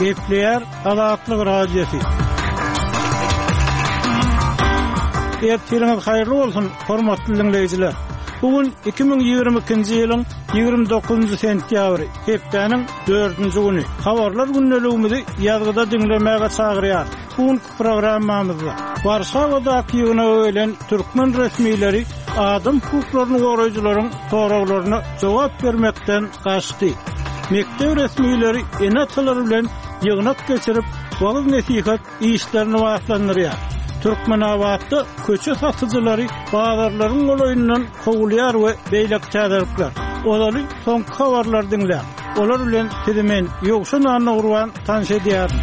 Gepleýär Azatlyk Radiosy. Ertiriňiz haýyrly bolsun, hormatly diňleýjiler! Bu gün 2022-nji ýylyň 29-njy sentýabry, hepdäniň dördünji güni. Habarlar gündeligimizi ýazgyda diňlemäge çagyrýarys. Bu günki Programmamyzda Warşawadaky ýygnaga gelen türkmen resmileri adam hukuklaryny goraýjylaryň soraglaryna jogap bermekden gaçdy. Mekdep resmileri ene-atalar bilen ýygnak geçirip, wagyz-nesihat işlerini batlandyrýar. Türkmenabatda köçe satyjylary bazarlaryň golaýyndan kowulýar we beýleki täzelikler. Ozaly soňky habarlary diňläň. Olar bilen sizi men, Ýowşan Annagurban tanyş edýärin.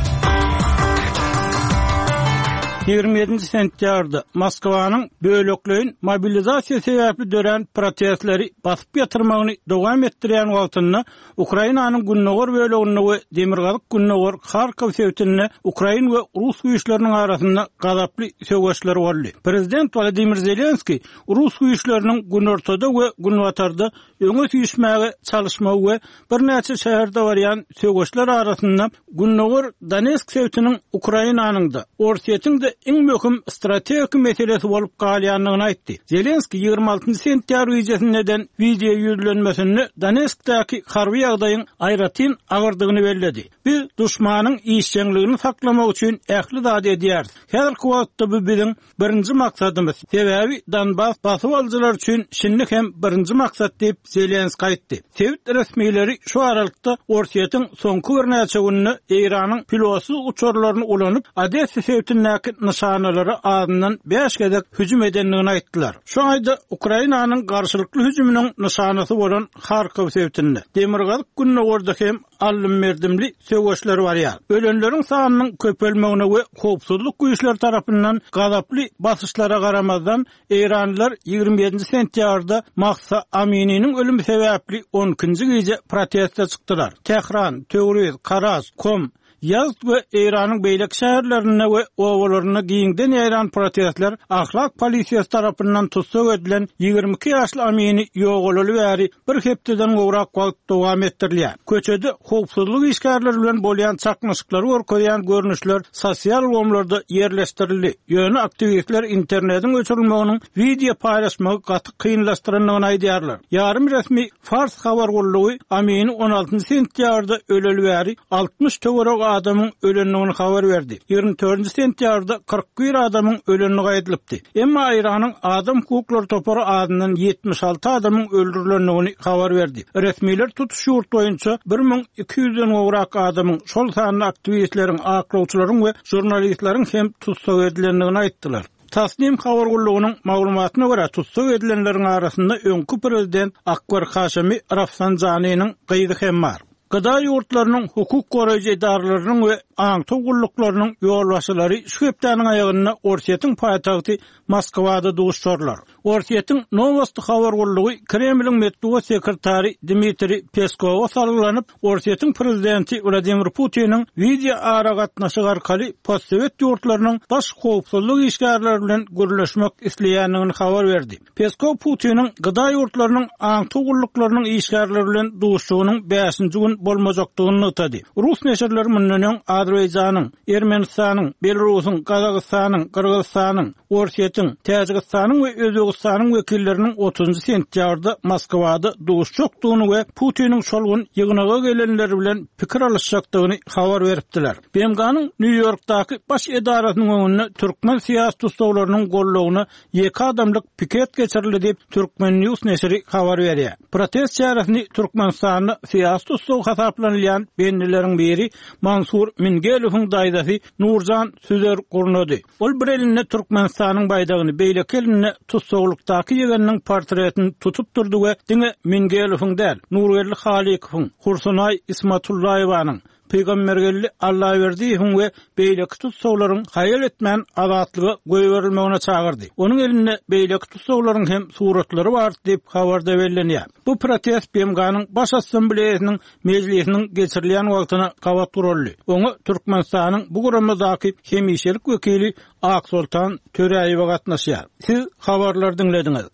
27-nji sentýabrda Moskwanyň bölekleýin mobilizasiýa sebäpli dörän protestleri basyp ýatyrmagyny dowam etdirýän wagtynda Ukrainanyň gündogar böleginde we demirgazyk-gündogar Harkow sebitinde ukrain we rus güýçleriniň arasynda gazaply söweşler boldy. Prezident Wladimir Zelenskiý rus güýçleriniň günortada we günbatarda öňe süýşmäge çalyşmagy we birnäçe şäherde barýan söweşler arasynda Gündogar Donetsk sebitiniň Ukrainanyň-da, Orsýetiň-de iň möhüm strategik meselesi bolup galýandygyny aýtdy. Zelenskiý 26 sentýabr gijesinde eden wideo ýüzlenmesinde Donetskdäki harby ýagdaýyň aýratyn agyrdygyny belledi. Biz duşmanyň işjeňligini saklamak üçin ähli zady edýäris. Häzirki wagtda bu biziň Birinji maksadymyz, sebäbi Donbas basyp alyjylar üçin şindi hem birinji maksat diýip, Zelenskiý aýtdy. Sebit resmileri şu aralykda Orsýetiň soňky birnäçe günde Eýranyň pilotsyz uçarlaryny ulanyp, Odessa sebitindäki nyşanalara azyndan bäş gezek hüjüm edendigini aýtdylar. Şu aýda Ukrainanyň garşylykly hüjüminiň nyşanasy bolan Harkow sebitinde, demirgazyk-gündogarda hem aldym-berdimli söweşler barýar. Ölenleriň sanynyň köpelmegine we howpsuzlyk güýçleri tarapyndan gazaply basyşlara garamazdan, eýranlylar 27-nji sentýabrda Mahsa Amininiň ölümi sebäpli on ikinji gije proteste çykdylar. Tähran, Töwriz, Karaj, Kom, Ýazd we Eýranyň beýleki şäherlerinde we obalarynda giňden ýaýran protestler ahlak polisiýasy tarapyndan tussag edilen 22 ýaşly Amini ýogalaly bäri bir hepdeden gowrak wagt dowam etdirilýär. Köçede howpsuzlyk işgärleri bilen bolýan çaknyşyklary görkezýän görnüşler sosial ulgamlarda ýerleşdirildi, ýöne aktiwistler internetiň öçürilmeginiň wideo paýlaşmagy gaty kynlaşdyrandygyny aýdýarlar. Ýarym resmi Fars habar gullugy Amini on altynjy sentýabrda öleli bäri 60 töweregi adamyň ölendigini habar berdi. 24-nji sentýabrda 41 adamyň ölendigi aýdylypdy. Emma Eýranyň Adam hukuklary topary azyndan 76 adamyň öldürilendigini habar berdi. Resmiler tutuş ýurt boýunça 1200-den gowrak adamyň, şol sanda aktiwistleriň, aklawçylaryň we žurnalistleriň hem tussag edilendigini aýtdylar. Tasnim habar gullugynyň maglumatyna görä, tussag edilenleriň arasynda öňki prezident Akbar Haşemi Rafsanjanynyň gyzy hem bar. GDA ýurtlarynyň hukuk goraýjy edaralarynyň we aňtaw gulluklarynyň ýolbaşçylary şu hepdäniň aýagynda Orsýetiň paýtagty Moskwada duşuşarlar. Orsýetiň Nowosti habar gullugy Kremliň metbugat sekretary Dmitriý Peskowa salgylanyp, Orsýetiň prezidenti Wladimir Putiniň wideo aragatnaşyk arkaly postsowet ýurtlarynyň baş howpsuzlyk işgärleri bilen gürleşmek isleýändigini habar berdi. Peskow Putiniň GDA ýurtlarynyň aňtaw gulluklarynyň işgärleri bilen duşuşygynyň bäşinji gün bolmajakdygyny nygtady. Rus neşirleri mundan öň Azerbaýjanyň, Ermenistanyň, Belarusyň, Gazagystanyň, Gyrgyzystanyň, Orsýetiň, Täjigistanyň we Özbegistanyň wekilleriniň otuzynjy sentýabrda Moskwada duşuşjakdygyny we Putiniň şol gün ýygnaga gelenler bilen pikir alyşjakdygyny habar beripdiler. BMG-niň Nýu-Ýorkdaky baş edarasynyň öňünde türkmen syýasy tussaglarynyň goldawyna ýeke adamlyk piket geçirildi diýip, Turkmen News neşiri habar berýär. Protest çäresini Türkmenistanda syýasy tussag hasaplanylýan bendileriň biri Mansur Mingelowyň daýzasy Nurjan Süzer gurnady. Ol bir elinde Türkmenistanyň baýdagyny, beýleki elinde tussaglykdaky ýegeniniň portretini tutup durdy we diňe Mingelowyň däl, Nurgeldi Halykowyň, Hursunaý Ismatullaýewanyň, Pygambergeldi Allaberdiýewiň we beýleki tussaglaryň haýal etmän azatlyga goýberilmegine çagyrdy. Onuň elinde beýleki tussaglaryň hem suratlary bar diýip, habarda bellenýär. Bu protest BMG-niň Baş Assambleýasynyň mejlisiniň geçirilýän wagtyna gabat guraldy. Oňa Türkmenistanyň bu guramadaky hemişelik wekili Aksoltan Töräýewa gatnaşýar. Siz habarlary diňlediňiz.